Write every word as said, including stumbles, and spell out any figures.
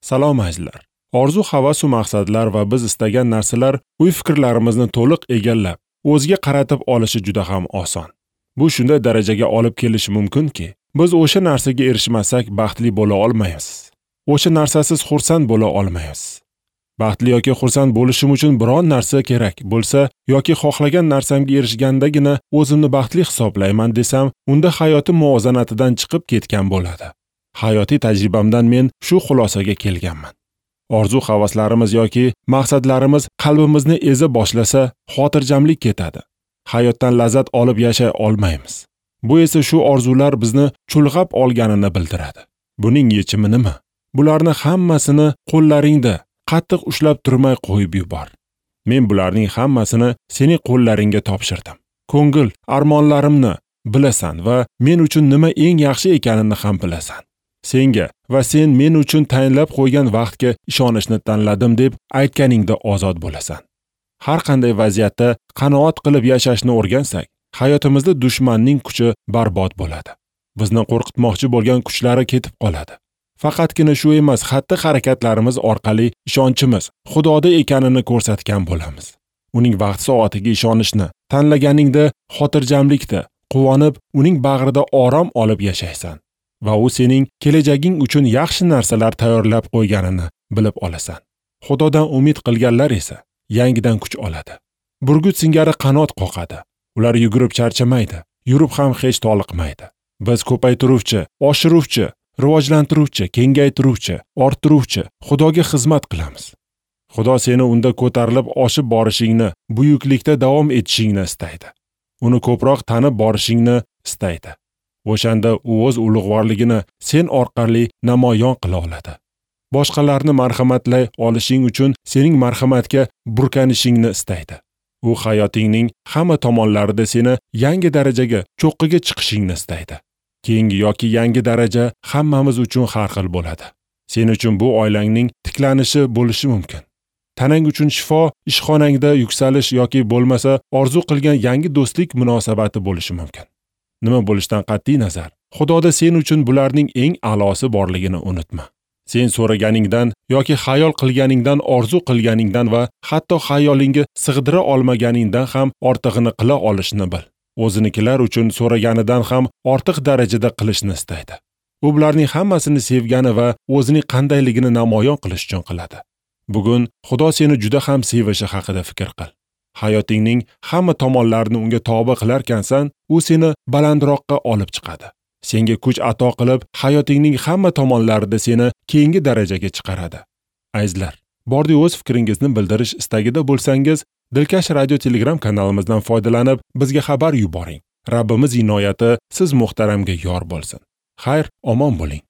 Salom azizlar. Orzu, havas va maqsadlar va biz istagan narsalar o'y-fikrlarimizni to'liq egallab, o'ziga qaratib olishi juda ham oson. Bu shunday darajaga olib kelishi mumkinki, biz o'sha narsaga erishmasak baxtli bo'la olmaymiz. O'sha narsasiz xursand bo'la olmaymiz. Baxtli yoki xursand bo'lishim uchun biron narsa kerak bo'lsa yoki xohlagan narsamga erishgandagina o'zimni baxtli hisoblayman desam, unda hayotim muvozanatidan chiqib ketgan bo'ladi. Hayotiy tajribamdan men shu xulosaga kelganman. Orzu havaslarimiz yoki maqsadlarimiz qalbimizni eza boshlasa, xotirjamlik ketadi. Hayotdan lazzat olib yashay olmaymiz. Bu esa shu orzular bizni chulg'ab olganini bildiradi. Buning yechimi nima? Bularni hammasini qo'llaringda qattiq ushlab turmay qo'yib yubor. Men bularning hammasini sening qo'llaringga topshirdim. Ko'ngil armonlarimni bilasan va men uchun nima eng yaxshi ekanini ham bilasan. Senga va sen men uchun tayinlab qo'ygan vaqtga ishonishni tanladim deb aytganingda ozod bo'lasan. Har qanday vaziyatda qanoat qilib yashashni o'rgansak, hayotimizda dushmanning kuchi barbod bo'ladi. Bizni qo'rqitmoqchi bo'lgan kuchlari ketib qoladi. Faqatgina shu emas, xatti-harakatlarimiz orqali ishonchimiz Xudoda ekanini ko'rsatgan bo'lamiz. Uning vaqt soatiga ishonishni tanlaganingda xotirjamlikda, quvonib, uning bag'rida orom olib yashaysan va u sening kelajaging uchun yaxshi narsalar tayyorlab qo'yganini bilib olasan. Xudodan umid qilganlar esa yangidan kuch oladi. Burgut singari qanot qoqadi. Ular yugurib charchamaydi, yurib ham hech toliqmaydi. Biz ko'paytiruvchi, oshiruvchi, rivojlantiruvchi, kengaytiruvchi, orttiruvchi Xudoga xizmat qilamiz. Xudo seni unda ko'tarilib oshib borishingni, buyuklikda davom etishingni istaydi. Uni ko'proq tanib borishingni istaydi. O'shanda u o'z ulug'vorligini sen orqali namoyon qila oladi. Boshqalarni marhamatlay olishing uchun sening marhamatga burkanishingni istaydi. U hayotingning hamma tomonlarida seni yangi darajaga, cho'qqiga chiqishingni istaydi. Keyingi yoki yangi daraja hammamiz uchun har xil bo'ladi. Sen uchun bu oilangning tiklanishi bo'lishi mumkin. Tanang uchun shifo, ishxonangda yuksalish yoki bo'lmasa orzu qilgan yangi do'stlik munosabati bo'lishi mumkin. Nima bo'lishidan qat'iy nazar, Xudoda sen uchun bularning eng a'losi borligini unutma. Sen so'raganingdan yoki xayol qilganingdan, orzu qilganingdan va hatto xayolingga sig'dira olmaganingdan ham ortig'ini qila olishni bil. O'zinikilar uchun so'raganidan ham ortiq darajada qilishni istaydi. U bularning hammasini sevgani va o'zining qandayligini namoyon qilish uchun qiladi. Bugun Xudo seni juda ham sevishi haqida fikr qil. Hayotingning hamma tomonlarini unga tobe qilarkansan, u seni balandroqqa olib chiqadi. Senga kuch ato qilib, hayotingning hamma tomonlarida seni keyingi darajaga chiqaradi. Azizlar, bordi o'z fikringizni bildirish istagida bo'lsangiz, Dilkash radio Telegram kanalimizdan foydalanib, bizga xabar yuboring. Rabbimiz inoyati siz muhtaramga yor bo'lsin. Xayr, omon bo'ling.